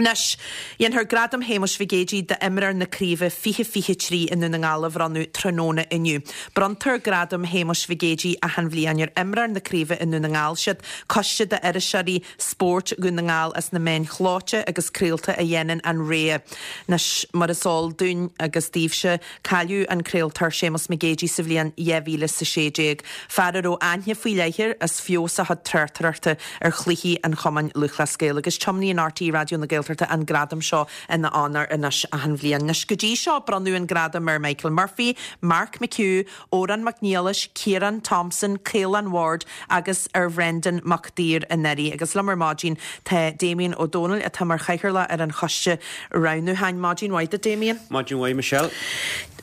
Anois, dhéanfar Gradam Shéamuis Mhig Éadaigh d'imreoir na Craoibhe 2023 i nDún na nGall a bhronnadh tráthnóna inniu. Bronntar Gradam Shéamuis Mhig Éadaigh achan bhliain ar imreoir na craoibhe i nDún na nGall. Siad coiste d'iriseoirí spóirt Dhún na nGall as na meáin chlóite agus craolta a dhéanann an rogha. Anois, mar is eol dúinn agus daoibhse, Cailleadh an craoltóir Séamus Mac Géidigh sa bhliain 2016, fear a raibh aithne faoi leith air as feabhas a chuid tráchtaireachta ar chluichí an Chumainn Lúthchleas Gael agus tiomnaíonn RTÉ Raidió na Gaeltachta an gradam seo ina onóir anois achan bhliain. Anois go dtí seo bronnadh an gradam ar Michael Murphy, Mark McHugh, Odhrán Mac Niallais, Ciarán Thompson, Caolán Ward agus ar Bhrendan Mac Uidhir anuraidh. Agus liom ar maidin tá Damien Ó Dónaill atá mar chathaoirleach ar an choiste roghnúcháin. Maidin mhaith duit Damien. Maidin mhaith Michelle.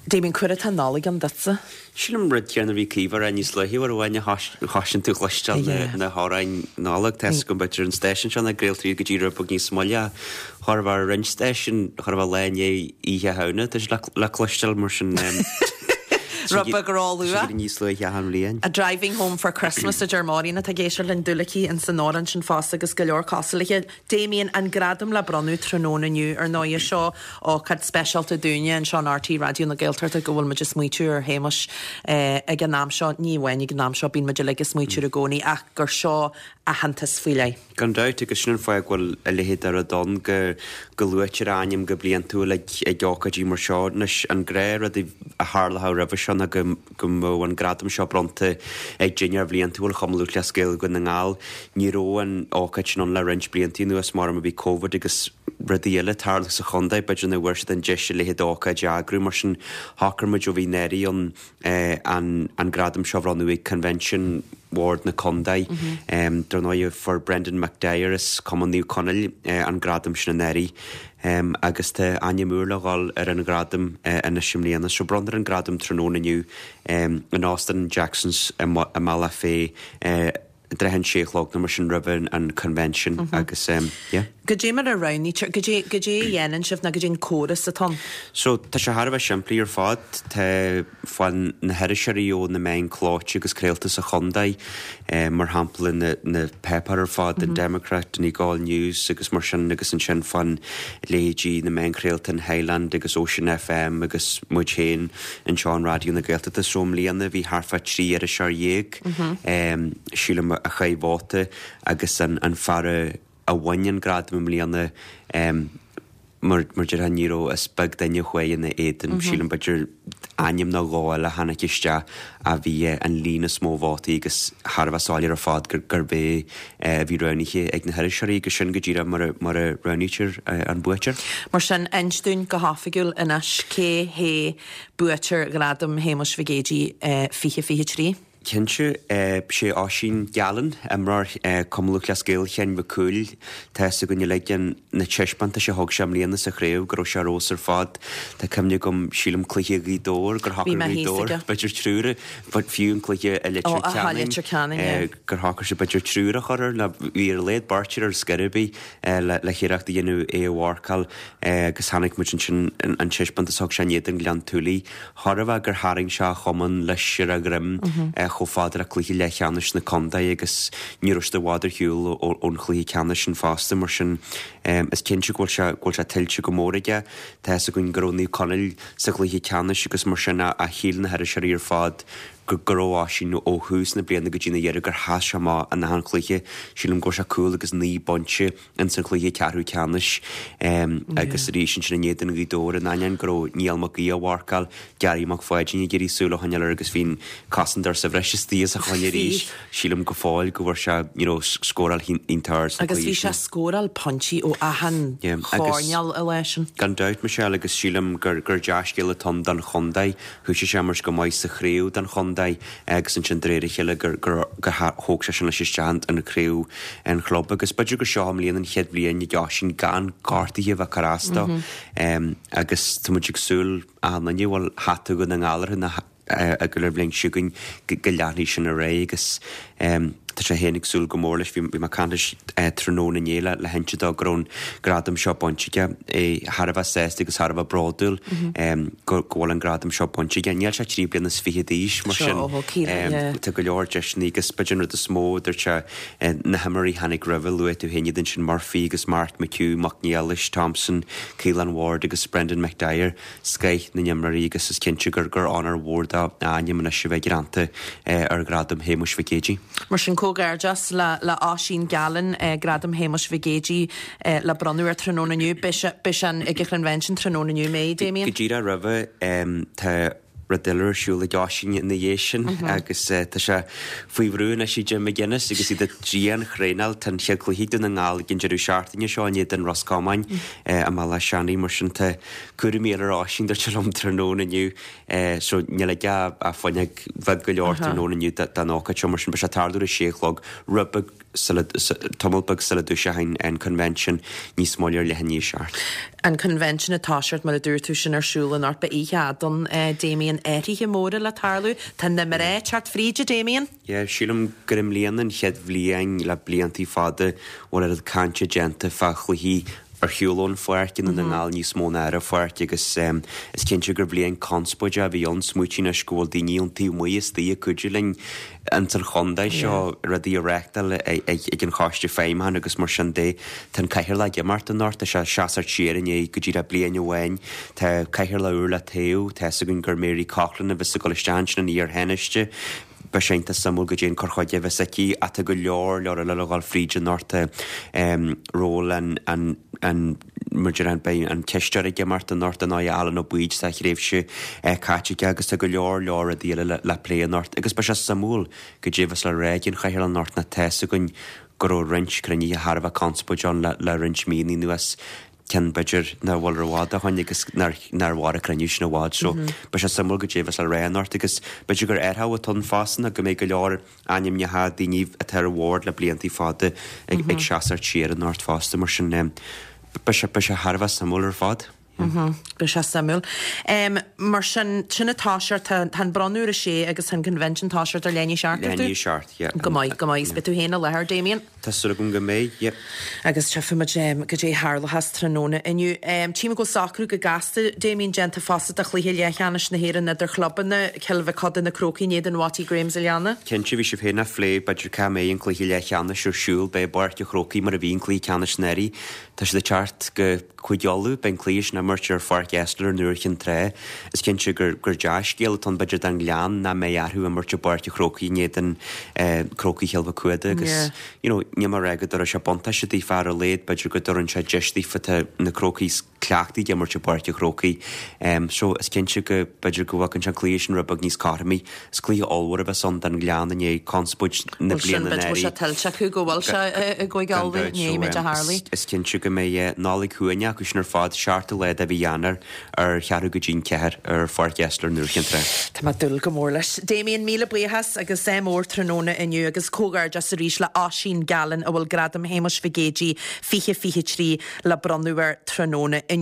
Damien, cá huair atá an Nollaig ann duitse? Sílim rud céanna a bhí Caoimhe a rá níos luaithe uair amháin a chloiseann tú cloisteáil na hamhráin Nollag. Tá 'fhios agam b'fhéidir an stáisiún seo nach gcraoltar iad go dtí rud beag níos moille ach chóir a bheith ar roinnt stáisiún, chóir a bheith lá i ndiaidh Oíche Shamhna, tá sé le cloisteáil mar sin. Rud beag róluath. Níos luaithe achan bhliain. Driving home for Christmas a deir Máirín atá ag éisteacht linn Dúlaicigh ins an amhrán sin fosta agus go leor cosúil léi. Damien, an gradam le bronnadh tráthnóna inniu, ar ndóighe, seo ócáid speisialta dúinne anseo in RTÉ Raidió na Gaeltachta go bhfuil muid ag smaoitiú ar Shéamus ag an am seo, ní amháin ag an am seo, bíonn muid uilig ag smaoitiú air i gcónaí ach gur seo aitheantas faoi leith. Gan dabht, agus sin an fáth go bhfuil a leithéid de rud ann, go go luaitear a ainm go bliantúil ag ag ócáidí mar seo. Anois, an gnáthrud a tharlódh roimhe seo ná go go mbeadh an gradam seo bronnta ag dinnéar bhliantúil Chumann Lúthchleas Gael Dhún na nGall. Ní raibh an ócáid sin ann le roinnt blianta anuas mar bhí Covid agus rudaí eile ag tarlú sa chontae, b'fhéidir nach bhfuair siad an deis a leithéid d'ócáid a eagrú. Mar sin, shocraigh muid ó bhí an anuraidh ann an gradam seo a bhronnadh ag Convention Bhord na Contae. Dar ndóigh, fuair Brendan McDyer as Cumann Naomh Conaill an gradam sin anuraidh agus tá ainm úr le dhul ar an ghradam anois i mbliana. So bronnfar an gradam tráthnóna inniu in Óstán Jackson's i mBealach Féich. i dtrátha an sé a chlog nó mar sin roimh an convention agus yeah. Goidé mar a roghnaítear, goidé, goidé a dhéanann sibh nó goidé an córas atá ann? So tá sé thar a bheith simplí ar fad. Tá faoin na hiriseoirí ó na meáin clóite agus craolta sa chontae, mar shampla na na páipéir ar fad, an Democrat, Donegal News agus mar sin agus ansin faoin leithéidí na meáin chraolta an Highland agus Ocean FM agus muid féin anseo in Raidió na Gaeltachta. So i mbliana bhí thart fá 13 iriseoir. Sílim, a chaith vóta agus an fear a bhain an gradam i mbliana, mar déarfá, ní raibh, is beag duine a chuaigh ina éadan, sílim, b'fhéidir ainm nó dhó eile a tháinig isteach a bhí an líon is mó vótaí agus thar a bheith soiléir ar fad gurb é a bhí roghnaithe ag na hiriseoirí agus sin go díreach mar a roghnaítear an buaiteoir. Mar sin, inis dúinn go hoifigiúil anois cé hé Buaiteoir Ghradam Shéamuis Mhig Éadaigh 2023. Cinnte, sé Oisín Gallen, imreoir Cumann Lúthchleas Gael Chionn Mhic Cumhaill. Tá fhios againn uilig na taispeántais a thug sé i mbliana sa chraobh go raibh sé ar fheabhas ar fad. Tá cuimhne agam, sílim, cluiche Ghaoth Dobhair, gur shocair Gaoth Dobhair, b'fhéidir triúr, fiú an cluiche i Leitir Ceanainn, gur shocair sé b'fhéidir triúr a chur air, nó bhí ar a laghad beirt air ar scor ar bith le hiarracht a dhéanamh é a mharcáil. Agus chonaic muid ansin an taispeántas a thug sé in éadan Ghleann tSúilí. Chóir a bheith gur tharraing sé a chumann leis ar a dhroim chomh fada le cluiche leathcheannais na contae agus ní raibh siad i bhfad ar shiúl ón chluiche ceannais sin fosta. Mar sin, is cinnte go bhfuil sé go bhfuil sé tuillte go mór aige. Tá fhios againn go raibh Naomh Conaill sa chluiche ceannais agus mar sin a shíl na hiriseoirí ar fad go raibh Oisín ó thús na bliana go dtí na dheireadh gur sheas sé amach in achan chluiche. Sílim go raibh sé cúl agus 9 bpointe ins an chluiche ceathrú ceannais agus arís ansin in éadan Ghaoth Dobhair in ainneoin go raibh Niall Mac Aoidh á mharcáil, Gary Mac Pháidín ag iarraidh súil a choinneáil air agus bhí an cosantóir sa bhreis istigh os a choinne arís. Sílim go fóill go bhfuair sé you know scóráil iontach ard sna Agus bhí cluichí sé sin. scóráil pointí ó achan Yeah, agus choirnéal an lá sin. gan dabht Michelle agus sílim gur gur dea-scéal atá ann don chontae. Thoisigh sé imirt go maith sa chraobh don chontae agus ansin de réir a chéile gur thóg sé sin leis isteach an chraobh an chlub agus b'fhéidir gur seo i mbliana an chéad bhliain ag Oisín gan gortuithe a bheith ag cur as dó agus tá muid ag súil achan duine a bhfuil hata Dhún na nGall orthu ag an bhliain seo chugainn go leanfaidh sin ar aghaidh agus. Tá sé féin ag súil go mór leis. Bhí mé ag caint leis tráthnóna inné le hinse dó go raibh an gradam seo bainte aige. É thar a bheith sásta agus thar a bheith bródúil go bhfuil an gradam seo bainte aige. Níl sé ach 3 bliana is fichead d'aois mar sin tá go leor deiseanna agus b'fhéidir an rud is mó a dúirt sé na himreoirí a tháinig roimhe, luaigh tú féin iad ansin Murphy agus Mark McHugh, Mac Niallais, Thompson, Caolan Ward agus Brendan McDyer. scoith na n-imreoirí agus is cinnte gur gur onóir mhór dó a ainm anois a bheith greanta ar Ghradam Shéamuis Mhic Géidigh. Mar sin, comhghairdeas le le Oisín Gallen, Gradam Shéamuis Mhic Géidigh le bronnadh air tráthnóna inniu. Beidh sé beidh sé ag an Chonvention tráthnóna inniu, mbeidh, Damien? Go díreach roimhe, tá rud eile ar siúl ag Oisín ina dhiaidh sin agus tá sé faoi bhrú anois ag Jim McGuinness agus iad ag dian-thraenáil. Tá an chéad chluiche ag Dún na nGall ag an deireadh seachtaine seo in éadan Ros Comáin i mBaile Átha Seanaidh. Mar sin tá cúraimí eile ar Oisín, dúirt sé liom tráthnóna inniu. So níl aige ach fuinneog bheag go leor tráthnóna inniu don ócáid seo. Mar sin beidh sé ag tarlú ar a sé a chlog, rud beag sula, tamall beag sula dtoiseoidh an Convention níos moille ar leath i ndiaidh a seacht. An Convention ag toiseacht, mar a dúirt tú, sin ar siúl anocht. Beidh oíche fhada ann, Damien. Athruithe móra le tarlú. Tá na mná ag teacht fríd, a Damien. Yeah, sílim gur i mbliana an chéad bhliain le bliantaí fada a bhfuil oiread cainte déanta fá chluichí ar shiúl ón pháirc i nDún na nGall níos mó ná ar an pháirc agus is cinnte gur bhliain conspóideach a bhí ann. Smaoitigh anois go bhfuil daoine ón taobh amuigh istigh ag cuidiú linn ins an chontae seo rudaí a reáchtáil ag an Choiste Feidhmiúcháin agus mar sin de. Tá an Cathaoirleach ag imeacht anocht, tá sé ag seasacht siar i ndiaidh go díreach bliain amháin. Tá Cathaoirleach úr le toghadh, tá fhios againn gur Mary Coughlan a bheas ag dul isteach ansin ina iar-Thánaiste. Beidh sé iontach suimiúil goidé an cur chuige a bheas aici ach tá go leor leor eile le dhul fríd anocht. Tá ról an, an, an, mar a déarfá, beidh an cisteoir ag imeacht anocht ar ndóigh Alan Ó Baoid tá a thréimhse caite aige agus tá go leor leor rudaí eile le, le plé anocht agus beidh sé suimiúil goidé a bheas le rá ag an chathaoirleach anocht nó tá fhios againn go raibh roinnt cruinnithe thar a bheith conspóideach ann le, le roinnt míonna anuas. ceann b'fhéidir nach bhfuil i bhfad ó shoin agus nár mhair an cruinniú sin i bhfad so beidh sé suimiúil goidé a bheas le rá anocht agus b'fhéidir gur athraitheach atá ann fosta ná go mbeidh go leor ainmneacha daoine atá ar an bhord le bliantaí fada ag ag seasacht siar anocht fosta mar sin beidh sé beidh sé thar a bheith suimiúil ar fad. Beidh sé suimiúil. Mar sin, sin ag toiseacht, tá tá an bronnadh ar a sé agus tá an convention ag toiseacht ar leath i ndiaidh a seacht, dúirt tú? Leath i ndiaidh a seacht, yeah. Go maith, go maith. Is beidh tú féin i láthair, Damien? Tá súil agam go mbeidh, yep. Agus tchífimid goidé a tharlóchas tráthnóna inniu. Tchím go bhfuil socrú go gasta, Damien, déanta fosta do chluiche leathcheannais na hÉireann idir chlubanna, Cill Mhic Coda na Crócaigh in éadan Watty Grahams an Leanna. Cinnte, bhí sibh féin á phlé, b'fhéidir cá mbeidh an cluiche leathcheannais ar siúl, beidh i bPáirc an Chrócaigh mar a bhí an cluiche ceannais anuraidh. Tá siad ag teacht go Cúige Uladh, beidh an cluiche sin á imirt ar Pháirc Esler in Iúr Chinn Trá. Is cinnte gur gur dea-scéal atá ann b'fhéidir don Ghleann nach mbeidh orthu imirt i bPáirc an Chrócaigh in éadan Crócaigh Chill Mhic Cuada agus you know níl mé ag rá go dtabharfaidh sé buntáiste daofa ar a laghad b'fhéidir go dtabharann sé deis daofa tá na Crócaigh cleachtaithe ag imirt i bPáirc an Chrócaigh. So is cinnte go b'fhéidir go bhfágann sé an cluiche sin rud beag níos cothromaí. Is cluiche ollmhór a bheas ann don Ghleann i ndiaidh conspóid na Bhuel sin, bliana b'fhéidir go bhfuil sé anuraidh. tuillte acu go bhfuil sé i gCúige Gan Uladh, dabht, ní so fhaigheimid a tharlaigh. is cinnte go mbeidh Nollaig shuaimhneach acu sin ar fad, seachtú lá de mhí Eanáir ar cheathrú go dtí'n ceathair ar Pháirc Esler in Iúr Chinn Trá. Tá mé ag dúil go mór leis. Damien, míle buíochas agus ádh mór tráthnóna inniu agus comhghairdeas arís le Oisín Gallen a bhfuil Gradam Shéamuis Mhic Géidigh 2023 le bronnadh air tráthnóna inniu.